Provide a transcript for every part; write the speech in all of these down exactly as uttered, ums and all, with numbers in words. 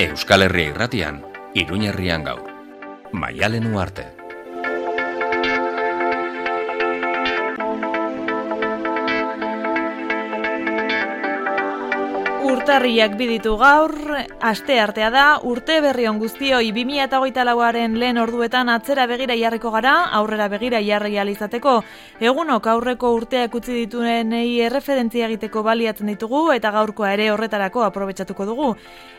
Euskal Herria Irratian, Iruña Herrian gaur. Maialen Uarte. Urtarriak biditu gaur, aste artea da, urte berri on guztioi bi mila hogeita lauaren lehen orduetan atzera begira jarriko gara, aurrera begira jarri ahal izateko. Egunok aurreko urteak utzi dituenei erreferentzia egiteko baliatzen ditugu eta gaurkoa ere horretarako aprobetxatuko dugu.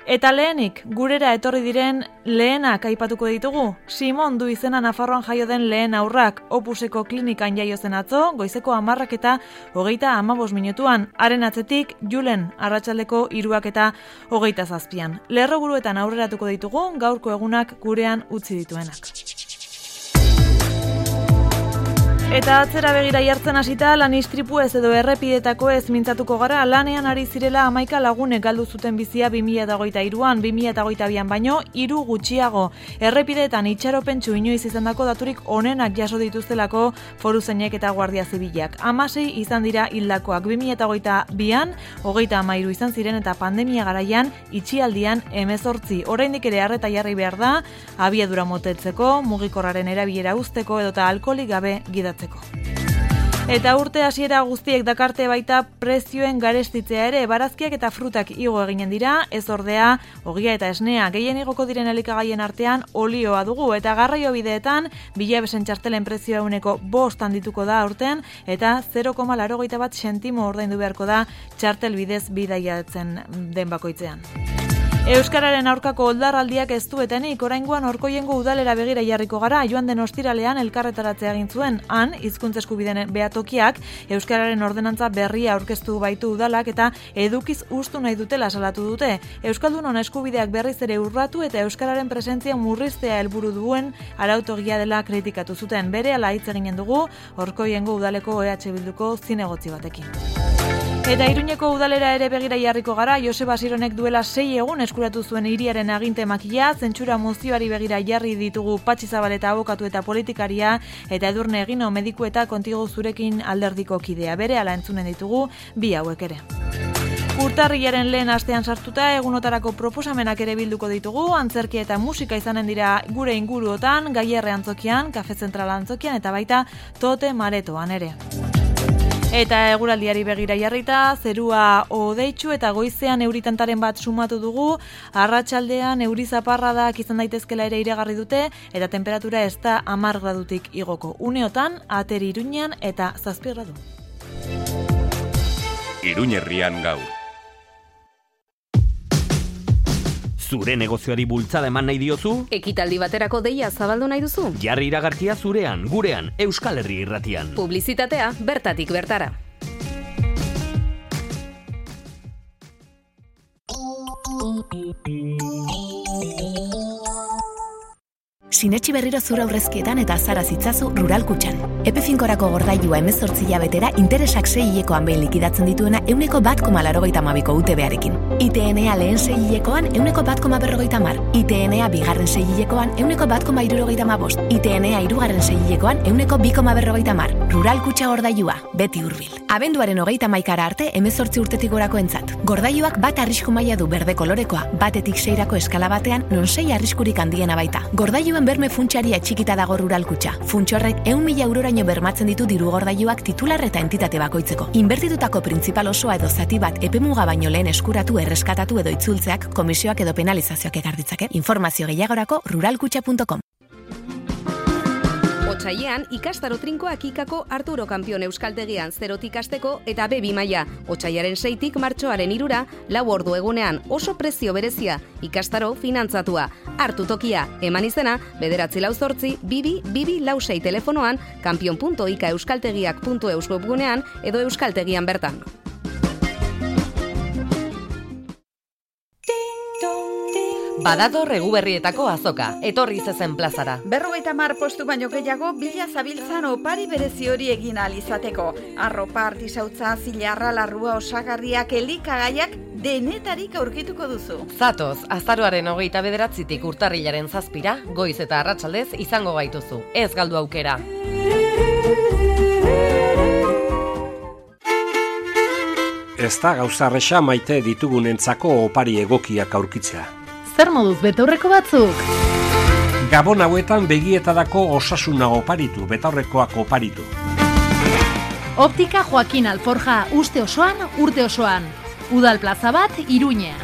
Eta lehenik, gurera etorri diren lehenak aipatuko ditugu. Simon du izena Nafarroan jaio den lehen aurrak, Opuseko klinikan jaio zen atzo, goizeko hamarrak eta hogeita hamabost minutuan. Haren atzetik, Julen, arratsaldeko hiruak eta hogeita zazpian. Lerroburuetan aurreratuko ditugu, gaurko egunak gurean utzi dituenak. Eta atzera begira jartzen hasita, lan istripu ez edo errepidetako ez mintzatuko gara, lanean ari zirela hamaika lagunek galdu zuten bizia bi mila hogeita hiruan, bi mila hogeita bian baino, hiru gutxiago. Errepideetan itxaropentsu inoiz izandako daturik onenak jaso dituztelako foruzainek eta guardia zibilak. Hamasei izan dira hildakoak, bi mila hogeita bian, hogeita hamairu izan ziren eta pandemia garaian itxialdian hemezortzi. Oraindik ere arreta jarri behar da, abiadura motetzeko, mugikorraren erabilera uzteko edota alkoholik gabe gidatzeko. Eta urte hasiera guztiek dakarte baita prezioen garestitzea ere, barazkiak eta frutak igo eginen dira, ez ordea, ogia eta esnea, gehien igoko diren elikagaien artean olioa dugu, eta garraio bideetan, bilabesen txartelen prezioa euneko bost handituko da aurten, eta zero koma laurogeita bat sentimo ordaindu beharko da txartel bidez bidaiatzen den bakoitzean. Euskararen aurkako oldarraldiak ez duetenik, oraingoan Orkoiengo udalera begira jarriko gara, joan den ostiralean elkarretaratzea egin zuen. Han, hizkuntza eskubideen behatokiak, Euskararen ordenantza berria aurkeztu baitu udalak eta edukiz ustu nahi dutela salatu dute. Euskaldunon eskubideak berriz ere urratu eta Euskararen presentzia murriztea helburu duen arautogia dela kritikatu zuten. Berehala hitz eginen dugu, Orkoiengo udaleko E H Bilduko zinegotzi batekin. Eta Iruñeko udalera ere begira jarriko gara, Joseba Sironek duela sei egun eskuratu zuen hiriaren aginte makia, zentsura mozioari begira jarri ditugu Patxi Zabaleta abokatu eta politikaria, eta Edurne Egino mediku eta Kontigo Zurekin alderdiko kidea. Berehala entzunen ditugu bi hauek ere. Urtarrilaren lehen astean sartuta egunotarako proposamenak ere bilduko ditugu, antzerkia eta musika izanen dira gure inguruotan, Gaierre antzokian, Kafe Zentral antzokian eta baita Tote Maretoan ere. Eta eguraldiari begira jarrita, zerua hodeitsu eta goizean euritantaren bat sumatu dugu, arratsaldean euri zaparradak izan daitezkela ere iragarri dute, eta temperatura ez da hamar gradutik igoko. Uneotan, Ateri Iruñean eta zazpi gradu. Iruña Herrian gaur. Zure negozioari bultzada eman nahi diozu? Ekitaldi baterako deia zabaldu nahi duzu? Jarri iragarkia zurean, gurean, Euskal Herria Irratian. Publizitatea bertatik bertara. Sinetxi berriro zura aurrezkietan eta azara zitzazu Rural Kutxan. Epe finkorako gordailua hemezortzi hilabetera interesak sei hilekoan behin likidatzen dituena euneko bat koma laurogeita hamabiko U T B-arekin. I T N-a lehen sei hilekoan euneko bat koma berrogeita hamar. I T N-a bigarren sei hilekoan euneko bat koma hirurogeita hamabost. I T N-a hirugarren sei hilekoan euneko bi koma berrogeita hamar. Rural Kutxa gordailua, beti hurbil. Abenduaren hogeita hamaikara arte hemezortzi urtetik gorako entzat. Gordailuak bat arrisku maila du berde kolorekoa, batetik seirako eskala batean non sei arriskurik handiena baita. Gordailuen berme funtsiari atxikita dago Rural Kutxa. Funts horrek ehun mila euroraino bermatzen ditu diru gordailuak titular eta entitate bakoitzeko. Inbertitutako printzipal osoa edo zati bat epemuga baino lehen eskuratu, erreskatatu edo itzultzeak komisioak edo penalizazioak ekar ditzake. Informazio gehiagorako ruralkutxa punto com. Otsailean, ikastaro trinkoak ikako Arturo Kampion Euskaltegian zerotik hasteko eta B bi maila. Otsailaren seitik martxoaren hirura, lau ordu egunean oso prezio berezia, ikastaro finantzatua. Hartu tokia, eman izena, bederatzi lau zortzi, bibi, bibi lau sei telefonoan, kampion punto ika euskaltegiak punto eus webgunean edo euskaltegian bertan. Badator Eguberrietako azoka, etorri zezen plazara. Berrogeita hamar postu baino gehiago bila zabiltzan opari berezi hori egin ahal izateko. Arropa, artisautza, zilarra, larrua, osagarriak, elikagaiak denetarik aurkituko duzu. Zatoz, azaroaren hogeita bederatzitik urtarrilaren zazpira, goiz eta arratsaldez izango gaituzu. Ez galdu aukera. Ez da gauza erresa maite ditugunentzako opari egokiak aurkitzea. zer moduz betaurreko batzuk? Gabon hauetan begietadako osasuna oparitu, betaurrekoak oparitu. Optika Joaquin Alforja, uste osoan, urte osoan. Udal plaza bat, Iruñean.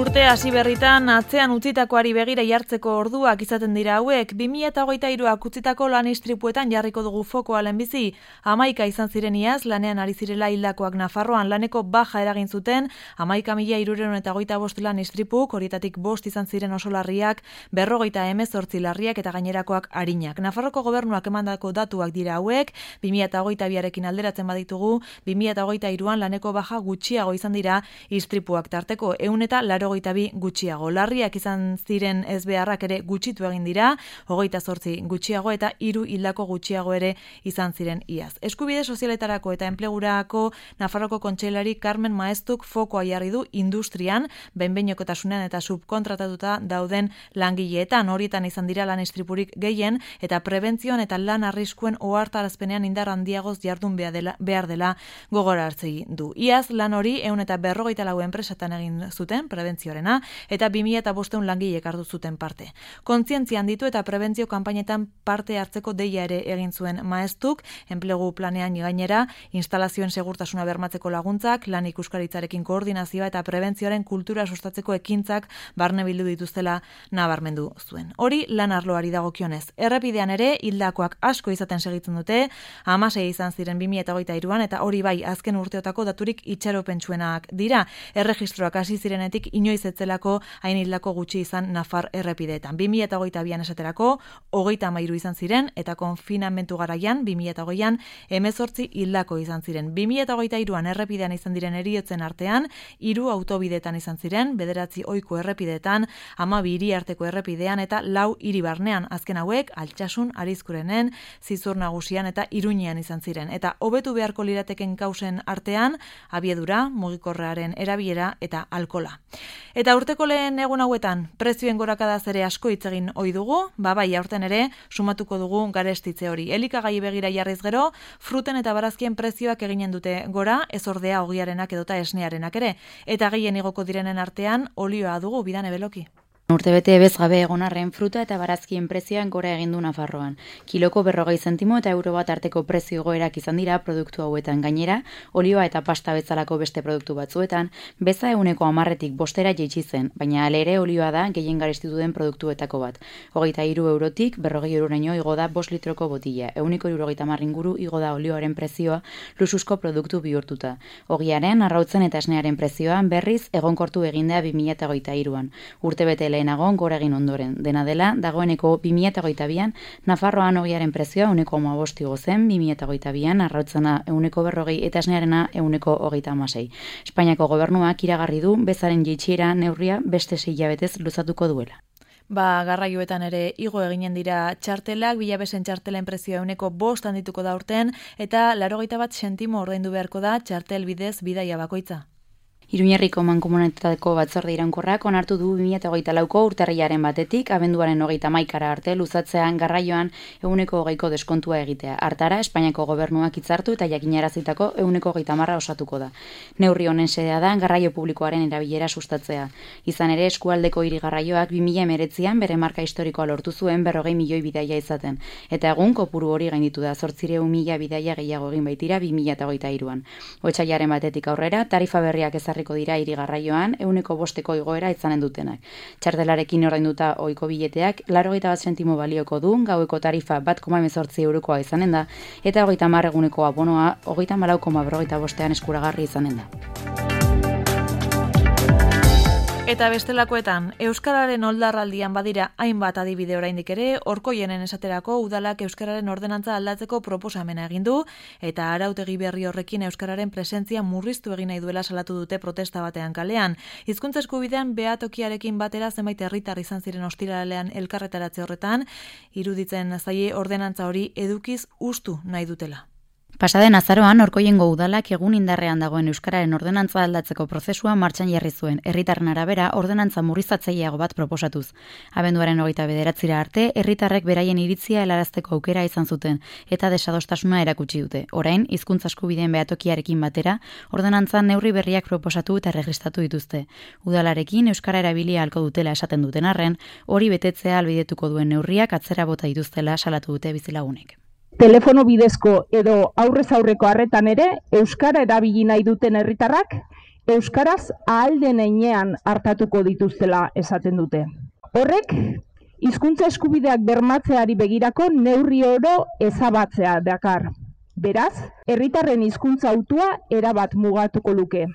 Urte hasi berritan, atzean utzitakoari begira jartzeko orduak izaten dira hauek, bi mila hogeita hiruak utzitako lan istripuetan jarriko dugu fokoa lehenbizi. Hamaika izan ziren iaz, lanean ari zirela hildakoak Nafarroan laneko baja eragin zuten, hamaika mila hirurehun eta hogeita bost lan istripuk, horietatik bost izan ziren oso larriak, berrogeita hemezortzi larriak eta gainerakoak arinak. Nafarroko gobernuak emandako datuak dira hauek, bi mila hogeita biarekin alderatzen baditugu, bi mila hogeita hiruan laneko baja gutxiago izan dira istripuak tarteko, ehun eta laurogeita bi gutxiago. Larriak izan ziren ezbeharrak ere gutxitu egin dira, hogeita zortzi gutxiago eta hiru hildako gutxiago ere izan ziren iaz. Eskubide sozialetarako eta enplegurako Nafarroko kontseilari Carmen Maeztuk fokoa jarri du industrian, behin-behinekotasunean eta subkontratatuta dauden langileetan, horietan izan dira lan istripurik gehien eta prebentzioan eta lan arriskuen ohartarazpenean indar handiagoz jardun behar dela, behar dela gogora hartzei du. Iaz lan hori ehun eta berrogeita lau enpresatan egin zuten prebentzio eta bi mila bostehun langilek hartu zuten parte. Kontzientzia handitu eta prebentzio kanpainetan parte hartzeko deia ere egin zuen Maeztuk, enplegu planean gainera, instalazioen segurtasuna bermatzeko laguntzak, lan ikuskaritzarekin koordinazioa eta prebentzioaren kultura sustatzeko ekintzak barne bildu dituztela nabarmendu zuen. Hori lan arloari dagokionez. Errepidean ere hildakoak asko izaten segitzen dute, hamasei izan ziren bi mila hogeita hiruan eta hori bai azken urteotako daturik itxaropentsuenak dira. Erregistroak hasi zirenetik inoiz etzelako hain hildako gutxi izan Nafar errepideetan. bi mila hogeita bian esaterako, hogeita hamairu izan ziren, eta konfinamentu garaian, bi mila hogeian, hemezortzi hildako izan ziren. bi mila hogeita hiruan errepidean izan diren heriotzen artean, hiru autobideetan izan ziren, bederatzi ohiko errepideetan, hamabi hiri arteko errepidean, eta lau hiri barnean, azken hauek, Altsasun, Arizkurenen, Zizur Nagusian eta Iruñean izan ziren. Eta hobetu beharko lirateken kausen artean, abiedura, mugikorraren erabilera eta alkola. Eta urteko lehen egun hauetan, prezioen gorakadaz ere asko hitz egin ohi dugu, ba bai, aurten ere sumatuko dugu garestitze hori. Elikagai begira jarriz gero, fruten eta barazkien prezioak eginen dute gora, ez ordea ogiarenak edota esnearenak ere. Eta gehien igoko direnen artean, olioa dugu Bidane Beloki. Urtebete bez gabe egon arren fruta eta barazkien prezioan gora egin du Nafarroan. Kiloko berrogei zentimo eta euro bat arteko prezio igoerak izan dira produktu hauetan. Gainera, olioa eta pasta bezalako beste produktu batzuetan, beza ehuneko hamarretik bostera jaitsi zen, baina alere olioa da gehien garestitu den produktuetako bat. Hogeita hiru eurotik berrogei euroraino igo da bost litroko botila. Ehuneko hirurogeita hamar inguru igo da olioaren prezioa luxuzko produktu bihurtuta. Ogiaren, arrautzen eta esnearen prezioan berriz egonkortu egindea bi mila hogeita hiruan. Urtebete lehenago gora egin ondoren. Dena dela, dagoeneko bi mila hogeita bian, Nafarroan ogiaren prezioa ehuneko hamabost igo zen, bi mila hogeita bian, arrautzena ehuneko berrogei eta esnearena ehuneko hogeita hamasei. Espainiako gobernuak iragarri du bezaren jaitsiera neurria beste sei hilabetez luzatuko duela. Ba, garraioetan ere igo eginen dira txartelak, bilabesen txartelen prezioa ehuneko bost handituko da urten, eta laurogeita bat sentimo ordaindu beharko da txartel bidez bidaia bakoitza. Iruñerriko mankomunitateko batzorde iraunkorrak onartu du bi mila hogeita lauko urtarrilaren batetik, abenduaren hogeita hamaikara arte luzatzean garraioan ehuneko hogeiko deskontua egitea. Hartara, Espainiako gobernuak hitzartu eta jakinarazitako ehuneko hogeita hamarra osatuko da. Neurri honen xedea da garraio publikoaren erabilera sustatzea. Izan ere, eskualdeko hiri garraioak bi mila hemeretzian bere marka historikoa lortu zuen berrogei milioi bidaia izaten. Eta egun kopuru hori gainditu da zortziehun mila bidaia gehiago egin baitira bi mila hogeita hiruan. Otsailaren batetik aurrera, tarifa berriak ezarri dira hiri garraioan ehuneko bosteko igoera izanen dutenak. Txartelarekin ordainduta ohiko bileteak laurogeita bat sentimo balioko du, gaueko tarifa bat koma hemezortzi eurokoa izanen da, eta hogeita hamar eguneko abonoa hogeita hamalau koma berrogeita bostean eskuragarri izanen da. Eta bestelakoetan, Euskararen oldarraldian badira hainbat adibide oraindik ere, Orkoienen esaterako udalak Euskararen ordenantza aldatzeko proposamena egin du, eta arautegi berri horrekin Euskararen presentzia murriztu egin nahi duela salatu dute protesta batean kalean. Hizkuntza eskubidean behatokiarekin batera zenbait herritar izan ziren ostiralean elkarretaratze horretan, iruditzen zaie ordenantza hori edukiz hustu nahi dutela. Pasaden azaroan Orkoiengo udalak egun indarrean dagoen euskararen ordenantza aldatzeko prozesua martxan jarri zuen. Herritarren arabera ordenantza murriztatzaileago bat proposatuz. Abenduaren hogeita bederatzira arte, herritarrek beraien iritzia helarazteko aukera izan zuten eta desadostasuna erakutsi dute. Orain, hizkuntza eskubideen behatokiarekin batera, ordenantza neurri berriak proposatu eta erregistratu dituzte. Udalarekin euskara erabilia ahalko dutela esaten duten arren, hori betetzea ahalbidetuko duen neurriak atzera bota dituztela salatu dute bizilagunek. Telefono bidezko edo aurrez aurreko harretan ere, euskara erabili nahi duten herritarrak, euskaraz ahal den heinean hartatuko dituztela esaten dute. Horrek, hizkuntza eskubideak bermatzeari begirako neurri oro ezabatzea dakar. Beraz, herritarren hizkuntza hautua erabat mugatuko luke.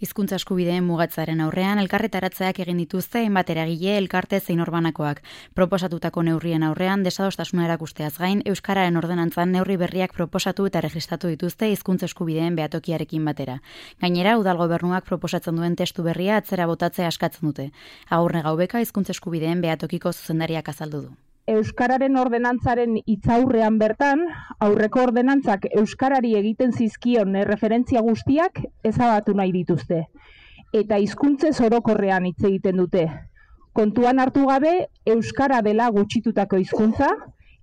Hizkuntza eskubideen mugatzaren aurrean elkarretaratzeak egin dituzte hainbat eragile, elkarte zein orbanakoak. Proposatutako neurrien aurrean desadostasuna erakusteaz gain, euskararen ordenantzan neurri berriak proposatu eta registratu dituzte hizkuntza eskubideen behatokiarekin batera. Gainera, udal gobernuak proposatzen duen testu berria atzera botatzea askatzen dute. Agurne Gaubeka hizkuntza eskubideen behatokiko zuzendariak azaldu du. Euskararen ordenantzaren hitzaurrean bertan, aurreko ordenantzak euskarari egiten zizkion erreferentzia guztiak ezabatu nahi dituzte. Eta hizkuntzez orokorrean hitz egiten dute. Kontuan hartu gabe, euskara dela gutxitutako hizkuntza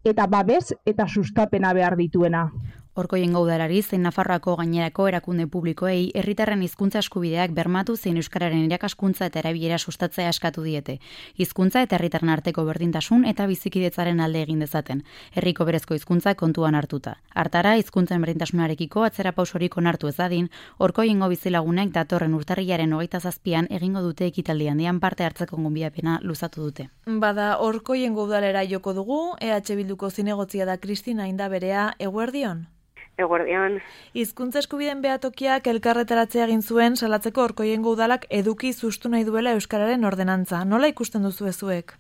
eta babes eta sustapena behar dituena. Orkoiengo udalari zein Nafarroako gainerako erakunde publikoei herritarren hizkuntza eskubideak bermatu zein euskararen irakaskuntza eta erabilera sustatzea eskatu diete. Hizkuntza eta herritarren arteko berdintasun eta bizikidetzaren alde egin dezaten. Herriko berezko hizkuntza kontuan hartuta. Hartara, hizkuntzen berdintasunarekiko atzera pausorik onartu ez dadin, Orkoiengo bizilagunek datorren urtarrilaren hogeita zazpian egingo dute ekitaldi handian parte hartzeko gonbidapena luzatu dute. Bada Orkoiengo udalera joko dugu, E H Bilduko zinegotzia da Kristina Indaberea, eguerdion? Eguerdion. Hizkuntza eskubideen behatokiak elkarretaratzea egin zuen salatzeko Orkoiengo udalak eduki sustu nahi duela euskararen ordenantza. Nola ikusten duzu ezuek?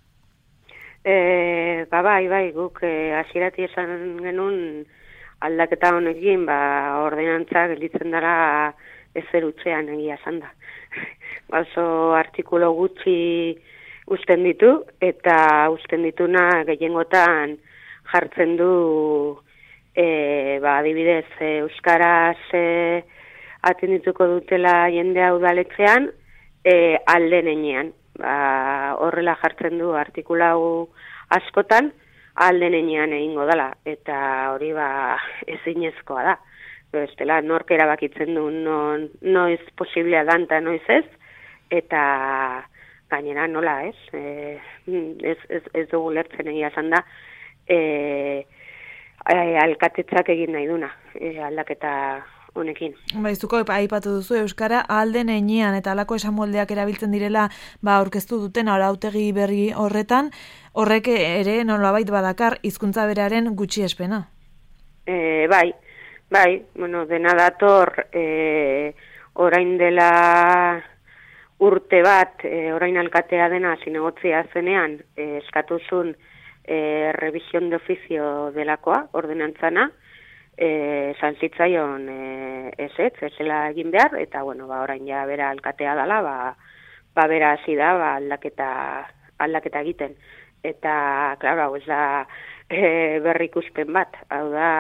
E, ba, bai, bai, guk hasierati esan genuen aldaketa honekin, ba, ordenantza gelditzen dara ezer utzean egia esan da. Oso artikulo gutxi usten ditu, eta usten dituna gehiengotan jartzen du E, ba, adibidez, e, euskaraz e, atendituko dutela jendea udaletzean, e, alden enean. Ba, horrela jartzen du artikulau askotan, alden enean egingo dela, eta hori ba, ezinezkoa da. Bestela, nork erabakitzen du non, noiz posiblea dan eta noiz ez, eta gainera nola ez, e, ez, ez, ez dugu lertzen egia esan da, e, alkatetzak egin nahi duna, e, aldaketa honekin. Baizuko aipatu duzu euskara alden enean eta alako esamoldeak erabiltzen direla ba aurkeztu duten arautegi berri horretan, horrek ere nolabait badakar hizkuntza beraren gutxiespena. E, bai, bai, bueno, dena dator e, orain dela urte bat, e, orain alkatea dena zinegotzia zenean, e, eskatuzun E, revisión de oficio delakoa, ordenantzana, e, zantzitzaion e, ez ez, ez zela egin behar, eta bueno, ba, orain ja bera alkatea dala, ba, ba bera hasi da, ba, aldaketa, aldaketa egiten. Eta, klaro, hau ez da e, berrikuspen bat, hau da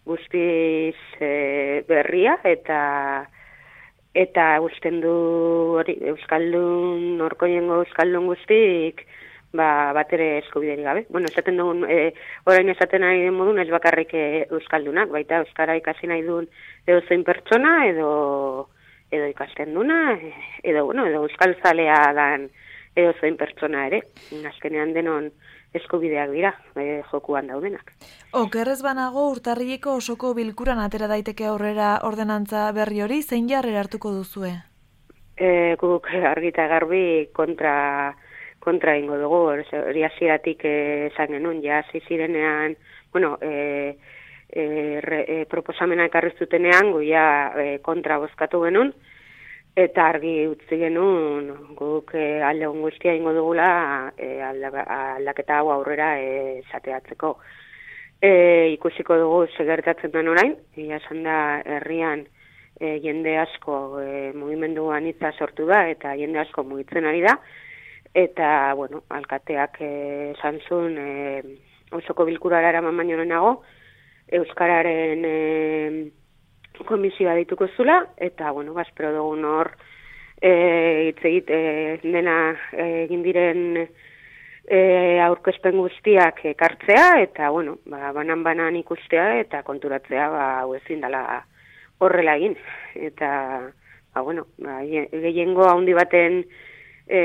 guztiz e, berria, eta eta usten du hori, Euskaldun, Orkoiengo Euskaldun guztik, ba, bat ere eskubiderik gabe. Bueno, esaten dugun, e, orain esaten nahi den modun, ez bakarrik euskaldunak, baita euskara ikasi nahi duen edo zein pertsona, edo, edo ikasten duna, edo, bueno, edo euskal zalea dan edo zein pertsona ere. Azkenean denon eskubideak dira, e, jokuan daudenak. Okerrez banago urtarrileko osoko bilkuran atera daiteke aurrera ordenantza berri hori, zein jarrera hartuko duzue? E, guk argita garbi kontra kontra ingo dugu, hori hasieratik esan genuen, ja hasi zirenean, bueno, e, e, re, e, proposamena ekarri zutenean, gu ja e, kontra bozkatu genuen, eta argi utzi genuen, guk e, alde guztia ingo dugula e, aldaketa hau aurrera esateatzeko. E, ikusiko dugu segertatzen den orain, ja esan da herrian e, jende asko e, mugimendu anitza sortu da, eta jende asko mugitzen ari da, eta, bueno, alkateak esan zuen e, osoko bilkurara eraman baino lehenago, Euskararen e, komisioa dituko zula, eta, bueno, espero dugun hor hitz e, egite dena egin diren e, aurkezpen guztiak ekartzea, eta, bueno, ba, banan-banan ikustea eta konturatzea, ba, hau ezin dela horrela egin. Eta, ba, bueno, ba, gehiengo handi baten e,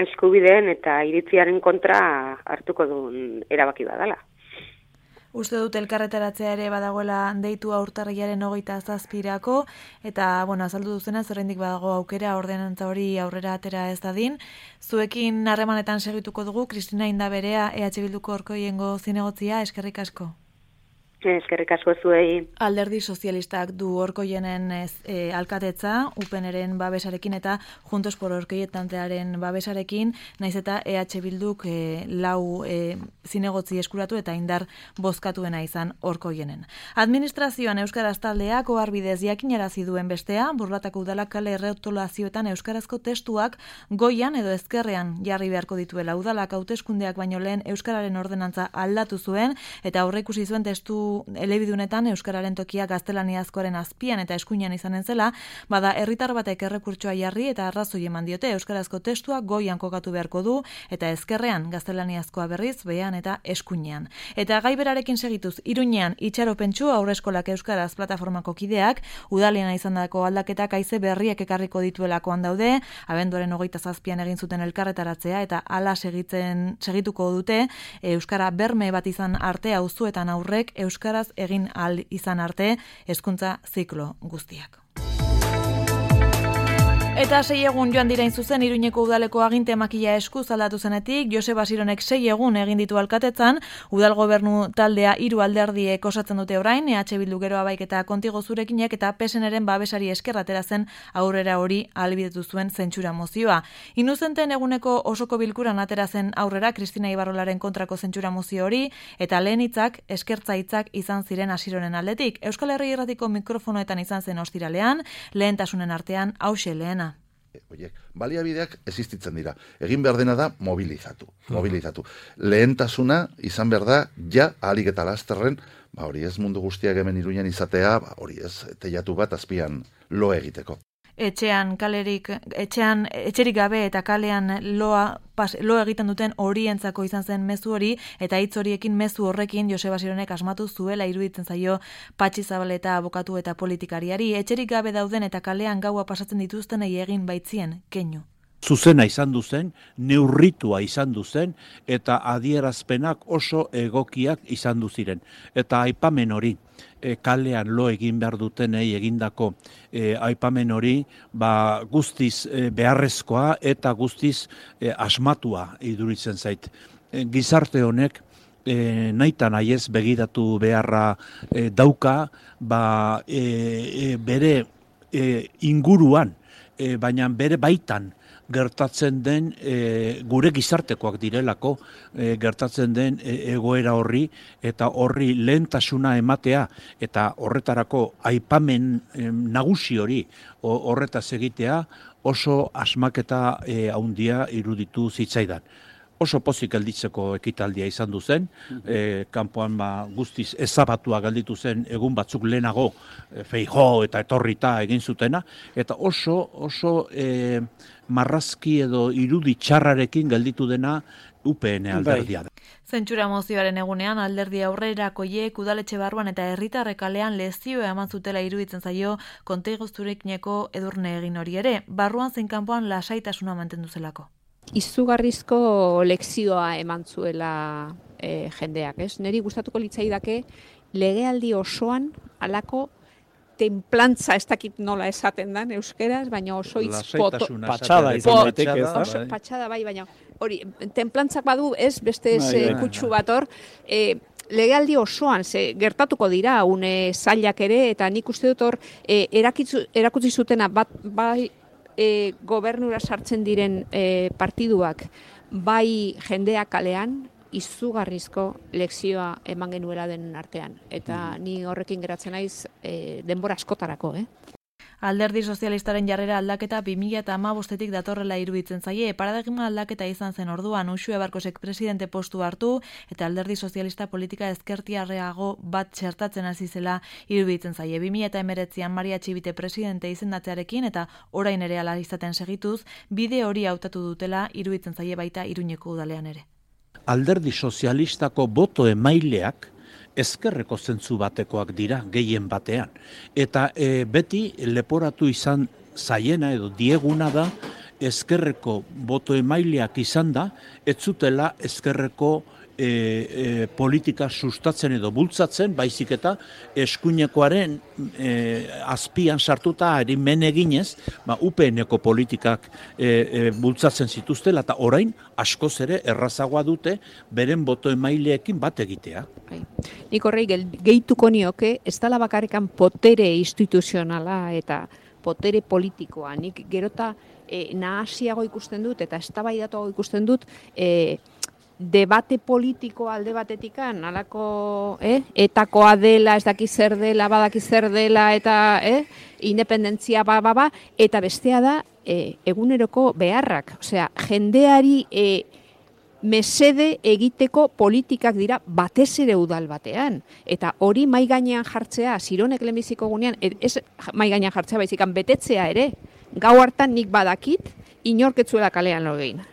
eskubideen eta iritziaren kontra hartuko duen erabaki badala. Uste dut elkarretaratzea ere badagoela deitu urtarrilaren hogeita zazpirako, eta, bueno, azaldu duzenez, oraindik badago aukera ordenantza hori aurrera atera ez dadin. Zuekin harremanetan segituko dugu, Kristina Indaberea, E H Bilduko Orkoiengo zinegotzia, eskerrik asko. Eskerrik asko zuei. Alderdi Sozialistak du Orkoienen e, alkatetza, U P Nren babesarekin eta Juntos por Orkoietantearen babesarekin, naiz eta E H Bilduk e, lau e, zinegotzi eskuratu eta indar bozkatuena izan Orkoienen. Administrazioan euskaraz taldeak oharbidez jakinarazi duen bestea, Burlatako udalak kale errotulazioetan euskarazko testuak goian edo ezkerrean jarri beharko dituela. Udalak hauteskundeak baino lehen euskararen ordenantza aldatu zuen eta aurreikusi zuen testu elebidunetan euskararen tokia gaztelaniazkoaren azpian eta eskuinean izanen zela, bada herritar batek errekurtsoa jarri eta arrazoi eman diote euskarazko testua goian kokatu beharko du eta ezkerrean gaztelaniazkoa berriz behean eta eskuinean. Eta gai berarekin segituz, Iruñean itxaropentsu aurreskolak euskaraz plataformako kideak udalena izandako aldaketak haize berriak ekarriko dituelakoan daude, abenduaren hogeita zazpian egin zuten elkarretaratzea eta hala segitzen segituko dute euskara berme bat izan arte auzuetan aurrek euskaraz egin ahal izan arte hezkuntza ziklo guztiak. Eta sei egun joan dirain zuzen Iruñeko udaleko aginte makila eskuz aldatu zenetik, Joseba Sironek sei egun egin ditu alkatetzan, udal gobernu taldea hiru alderdiek osatzen dute orain, E H Bildu Gero Abaik eta Kontigo Zurekinek eta P S Nren babesari esker atera zen aurrera hori ahalbidetu zuen zentsura mozioa. Inuzenten eguneko osoko bilkuran atera zen aurrera Kristina Ibarrolaren kontrako zentsura mozio hori, eta lehen hitzak eskertza hitzak izan ziren Asironen aldetik. Euskal Herri Irratiko mikrofonoetan izan zen ostiralean, lehentasunen artean hauxe lehena. Oiek, baliabideak existitzen dira. Egin behar dena da mobilizatu. Mobilizatu. Lehentasuna izan behar da ja ahalik eta lasterren, ba hori ez mundu guztiak hemen Iruñan izatea, ba hori ez teilatu bat azpian lo egiteko. Etxean kalerik, etxean etxerik gabe eta kalean loa pas, lo egiten duten horientzako izan zen mezu hori, eta hitz horiekin mezu horrekin Joseba Sironek asmatu zuela iruditzen zaio Patxi Zabaleta abokatu eta politikariari. Etxerik gabe dauden eta kalean gaua pasatzen dituztenei egin baitzien keinu. Zuzena izan duzen, neurritua izan duzen, eta adierazpenak oso egokiak izan duziren. Eta aipamen hori, e, kalean lo egin behar dutenei egindako e, aipamen hori, ba, guztiz e, beharrezkoa eta guztiz e, asmatua iduritzen zait. E, gizarte honek, E, naita nahiez begiratu beharra e, dauka, ba, e, e, bere e, inguruan, e, baina bere baitan, gertatzen den e, gure gizartekoak direlako e, gertatzen den e, egoera horri eta horri lehentasuna ematea eta horretarako aipamen e, nagusi hori o, horretaz egitea oso asmaketa e, handia iruditu zitzaidan. Oso pozik gelditzeko ekitaldia izan du zen, e, kanpoan ba, guztiz ezabatua gelditu zen egun batzuk lehenago e, Feijóo eta etorrita egin zutena, eta oso oso e, marrazki edo irudi txarrarekin gelditu dena U P N alderdia da. Zentsura mozioaren egunean alderdi aurrerakoiek udaletxe barruan eta herritarrek kalean lezioa eman zutela iruditzen zaio Kontigo Zurekineko Edurne egin hori ere, barruan zein kanpoan lasaitasuna mantendu zelako. Izugarrizko lekzioa eman zuela e, jendeak, ez? Neri gustatuko litzaidake legealdi osoan halako tenplantza, ez dakit nola esaten dan euskeraz, baina oso hitz patxada izan daiteke, ez da? Patxada bai, baina hori, tenplantzak badu, ez, beste ez kutsu bat hor, e, legealdi osoan ze gertatuko dira une zailak ere, eta nik uste dut hor e, erakutsi zutena bat bai E, gobernura sartzen diren e, partiduak bai jendeak kalean izugarrizko lekzioa eman genuela den artean. Eta ni horrekin geratzen naiz e, denbora askotarako, eh? Alderdi sozialistaren jarrera aldaketa bi mila hamabostetik datorrela iruditzen zaie, paradigma aldaketa izan zen orduan Uxue Barkosek presidente postu hartu eta alderdi sozialista politika ezkertiarreago bat txertatzen hasi zela iruditzen zaie. bi mila hemeretzian Maria Txibite presidente izendatzearekin eta orain ere hala izaten segituz, bide hori hautatu dutela iruditzen zaie baita Iruñeko udalean ere. Alderdi sozialistako boto emaileak ezkerreko zentzu batekoak dira gehien batean. Eta e, beti leporatu izan zaiena edo dieguna da ezkerreko boto emaileak izan da, ez zutela ezkerreko e, e, politika sustatzen edo bultzatzen, baizik eta eskuinekoaren e, azpian sartuta erimen eginez, ba, U P N-eko politikak e, e, bultzatzen zituztela, eta orain askoz ere errazagoa dute beren boto emaileekin bat egitea. Nik horrei gehituko nioke, ez dela bakarrikan potere instituzionala eta potere politikoa. Nik gerota e, nahasiago ikusten dut eta eztabaidatuago ikusten dut e, debate politiko alde batetikan, alako eh, etakoa dela, ez daki zer dela, badaki zer dela, eta eh, independentzia ba, ba, ba, eta bestea da e, eguneroko beharrak. Osea, jendeari e, mesede egiteko politikak dira batez ere udal batean. Eta hori mai gainean jartzea, Zironek lehenbiziko gunean, ez mai gainean jartzea baizikan betetzea ere, gau hartan nik badakit, inorketzuela kalean lo egin.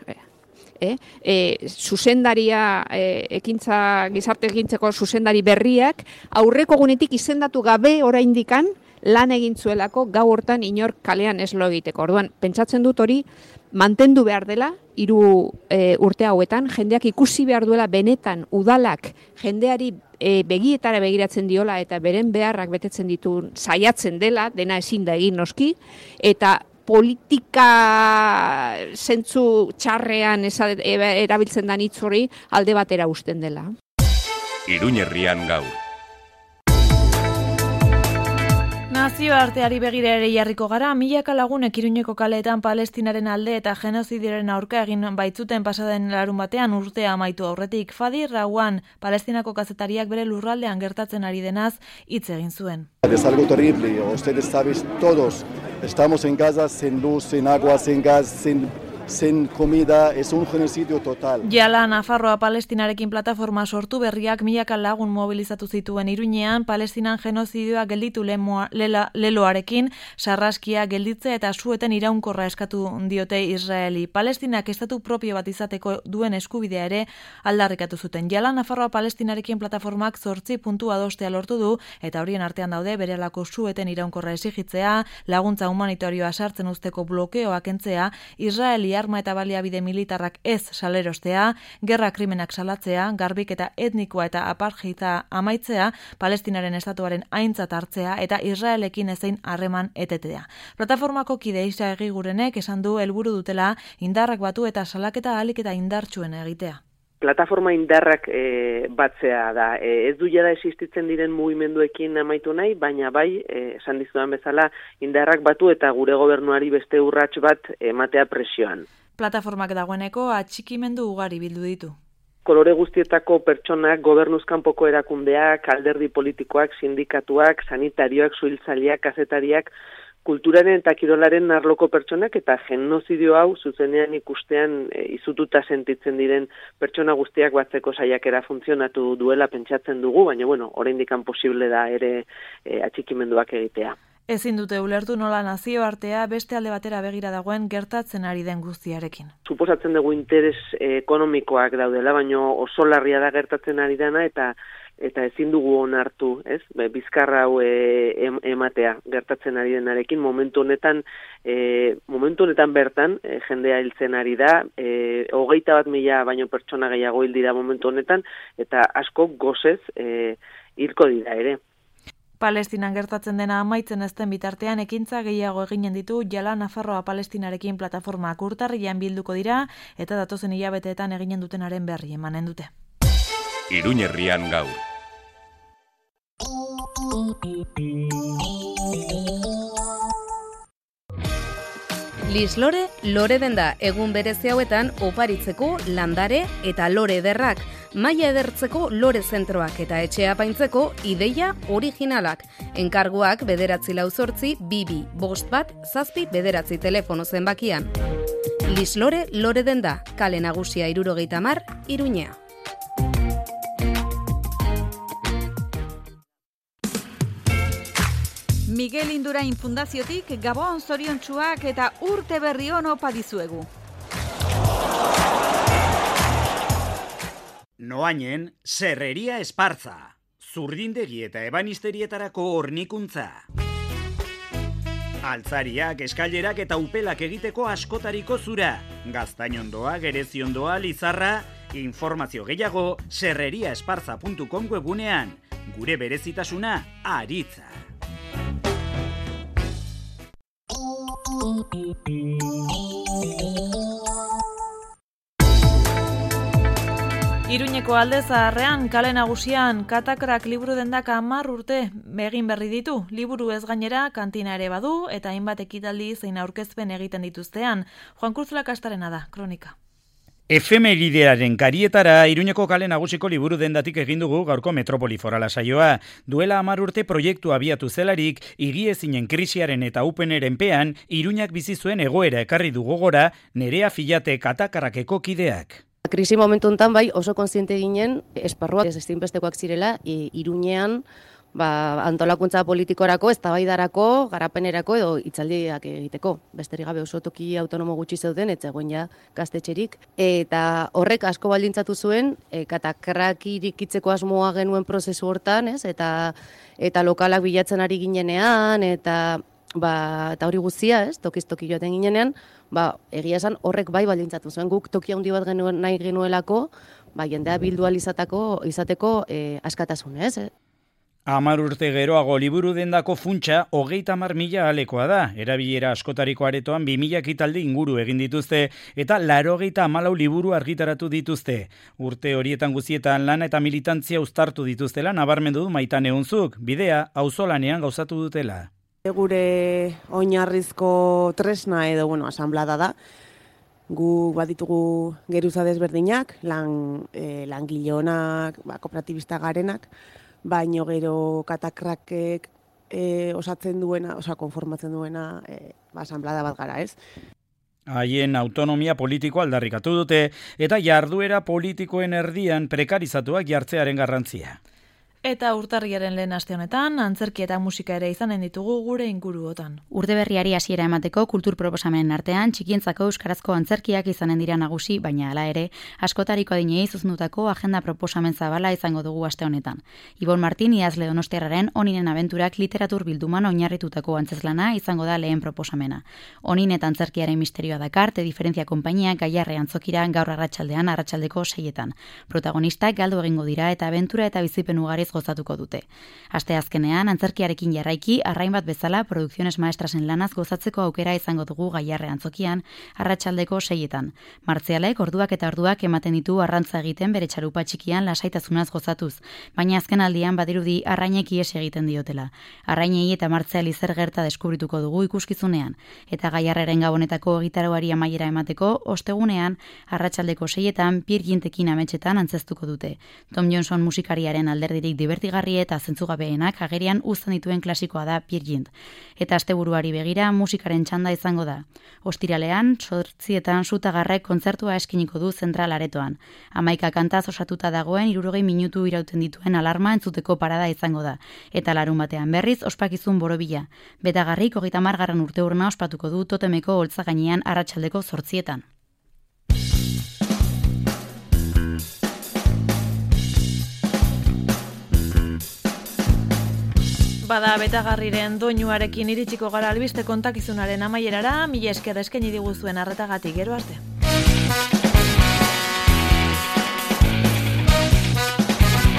Eh? E, zuzendaria, e, ekintza, gizarte egintzeko zuzendari berriak, aurreko gunetik izendatu gabe oraindikan lan egintzuelako gau hortan inor kalean ez lo egiteko. Orduan, pentsatzen dut hori mantendu behar dela, hiru e, urte hauetan, jendeak ikusi behar duela benetan udalak jendeari e, begietara begiratzen diola eta beren beharrak betetzen ditu saiatzen dela, dena ezin da egin noski, eta politika zentzu txarrean erabiltzen da hitz hori alde batera uzten dela. Iruñerrian gaur. Nazioarteari begira ere jarriko gara, milaka lagunek Iruñeko kaleetan Palestinaren alde eta genozidiaren aurka egin baitzuten pasaden larun batean urtea amaitu aurretik. Fadi Rawan, Palestinako kazetariak bere lurraldean gertatzen ari denaz hitz egin zuen. Es algo terrible, ustedes saben todos, estamos en Gaza sin luz, sin agua, sin gas, sin... sin comida, es un genocidio total. Jala Nafarroa Palestinarekin plataforma sortu berriak milaka lagun mobilizatu zituen Iruñean, Palestinan genozidioa gelditu lemoa, lela, leloarekin, sarraskia gelditzea eta sueten iraunkorra eskatu diote Israeli. Palestinak estatu propio bat izateko duen eskubidea ere aldarrikatu zuten. Jala Nafarroa Palestinarekin plataformak zortzi puntu adostea lortu du, eta horien artean daude berelako sueten iraunkorra exigitzea, laguntza humanitarioa sartzen usteko blokeoa kentzea, Israeli arma eta baliabide militarrak ez salerostea, gerra krimenak salatzea, garbiketa etnikoa eta apartheida amaitzea, Palestinaren estatuaren aintzat hartzea eta Israelekin ezein harreman etetea. Plataformako kide Isa Egigurenek esan du helburu dutela indarrak batu eta salaketa ahalik eta indartsuen egitea. Plataforma indarrak e, batzea da. E, ez du jada existitzen diren mugimenduekin amaitu nahi, baina bai, e, esan dizudan bezala, indarrak batu eta gure gobernuari beste urrats bat ematea presioan. Plataformak dagoeneko atxikimendu ugari bildu ditu. Kolore guztietako pertsonak, gobernuzkanpoko erakundeak, alderdi politikoak, sindikatuak, sanitarioak, suhiltzaileak, kazetariak, kulturaren eta kirolaren arloko pertsonak eta genozidio hau zuzenean ikustean e, izututa sentitzen diren pertsona guztiak batzeko saiakera funtzionatu duela pentsatzen dugu, baina bueno, oraindikan posible da ere e, atxikimenduak egitea. Ezin dute ulertu nola nazioartea beste alde batera begira dagoen gertatzen ari den guztiarekin. Suposatzen dugu interes e, ekonomikoak daudela, baina oso larria da gertatzen ari dena eta eta ezin dugu onartu, ez? Bizkarra hau e, ematea gertatzen ari denarekin momentu honetan e, momentu honetan bertan e, jendea hiltzen ari da, e, hogeita bat mila baino pertsona gehiago hil dira momentu honetan eta asko gozez e, hilko dira ere. Palestinan gertatzen dena amaitzen ezten bitartean ekintza gehiago eginen ditu Jala Nafarroa Palestinarekin plataformak urtarrilean bilduko dira eta datozen hilabeteetan eginen dutenaren berri emanen dute. Iruñerrian gaur. Lislore, lore denda egun berezi hauetan oparitzeko landare eta lore ederrak, maila edertzeko lore zentroak eta etxea apaintzeko ideia originalak. Enkarguak bederatzi lau zortzi, bibi, bost bat, zazpi bederatzi telefono zenbakian. Lislore, lore denda, kale nagusia hirurogeita hamar, Iruñea. Miguel Indurain Fundaziotik Gabon zoriontsuak eta urte berri on opa dizuegu. Noainen, Serreria Esparza, zurdindegi eta ebanisterietarako hornikuntza. Altzariak, eskailerak eta upelak egiteko askotariko zura. Gaztainondoa, gereziondoa, lizarra, informazio gehiago serreriaesparza puntu com webunean. Gure berezitasuna, aritza. Iruñeko Alde Zaharrean, kale nagusian, Katakrak liburu dendak hamar urte egin berri ditu. Liburu ez gainera, kantina ere badu, eta hainbat ekitaldi zein aurkezpen egiten dituztean. Juan Cruz Lakastarena da, kronika. Efemeridearen karietara Iruñeko kale nagusiko liburu dendatik egin dugu gaurko Metropoli Forala saioa. Duela hamar urte proiektu abiatu zelarik, higiezinen krisiaren eta upeneren pean, Iruñak bizi zuen egoera ekarri du gogora Nerea Filate Katakarrakeko kideak. Krisi momentu honetan bai oso kontziente ginen esparruak ez ezinbestekoak zirela e, Iruñean ba, antolakuntza politikorako, eztabaidarako, garapenerako edo hitzaldiak egiteko. Besterik gabe oso toki autonomo gutxi zeuden, ez zegoen ja gaztetxerik. Eta horrek asko baldintzatu zuen, e, Katakrak irikitzeko asmoa genuen prozesu hortan, ez? Eta, eta lokalak bilatzen ari ginenean, eta ba, eta hori guztia, ez? Tokiz toki joaten ginenean, ba, egia esan horrek bai baldintzatu zuen. Guk toki handi bat genuen, nahi genuelako, ba, jendea bildu izateko, izateko e, askatasun, ez? Hamar urte geroago liburu dendako funtsa hogeita hamar mila alekoa da. Erabilera askotariko aretoan bi mila kitalde inguru egin dituzte eta laurogeita hamalau liburu argitaratu dituzte. Urte horietan guztietan lana eta militantzia uztartu dituztela nabarmendu du Maitane Unzuk, bidea auzolanean gauzatu dutela. Gure oinarrizko tresna edo, bueno, asanblada da. Gu baditugu geruza desberdinak, lan, e, langileonak, ba, kooperatibista garenak, baino gero Katakrakek e, osatzen duena, osa konformatzen duena e, ba, asanblada bat gara, ez? Haien autonomia politiko aldarrikatu dute eta jarduera politikoen erdian prekarizatuak jartzearen garrantzia. Eta urtarriaren lehen aste honetan, antzerki eta musika ere izanen ditugu gure inguruotan. Urte berriari hasiera emateko kultur proposamenen artean txikientzako euskarazko antzerkiak izanen dira nagusi, baina hala ere, askotariko adinei zuzendutako agenda proposamen zabala izango dugu aste honetan. Ibon Martin idazle donostiarraren Oninen abenturak literatur bilduman oinarritutako antzezlana izango da lehen proposamena. Onin eta antzerkiaren misterioa dakarte, diferentzia konpainia Gaiarre antzokira gaur arratsaldean arratsaldeko seietan. Protagonistak galdu egingo dira eta abentura eta bizipen ugariz gozatuko dute. Aste azkenean, antzerkiarekin jarraiki, arrain bat bezala, Produkziones Maestrasen lanaz gozatzeko aukera izango dugu Gaiarre antzokian, arratsaldeko seietan. Martzialek orduak eta orduak ematen ditu arrantza egiten bere txalupa txikian lasaitasunaz gozatuz, baina azken aldian badirudi arrainek ihes egiten diotela. Arrainei eta Martziali zer gerta deskubrituko dugu ikuskizunean, eta Gaiarreren gabonetako egitaroari amaiera emateko, ostegunean, arratsaldeko seietan, Peer Gintekin ametsetan antzeztuko dute. Tom Johnson musikariaren alderdirik divertigarri eta zentzugabeenak agerian uzten dituen klasikoa da Peer Gynt. Eta asteburuari begira musikaren txanda izango da. Ostiralean, zortzietan Sutagarrek kontzertua eskiniko du zentral aretoan. Hamaika kantaz osatuta dagoen hirurogei minutu irauten dituen alarma entzuteko parada izango da. Eta larun batean berriz ospakizun borobila. Betagarrik hogeita hamargarren urteurrena ospatuko du Totemeko holtza gainean arratsaldeko zortzietan. Bada Betagarriren doinuarekin iritsiko gara albiste kontakizunaren amaierara, mila esker eskaini diguzuen arretagatik, gero arte.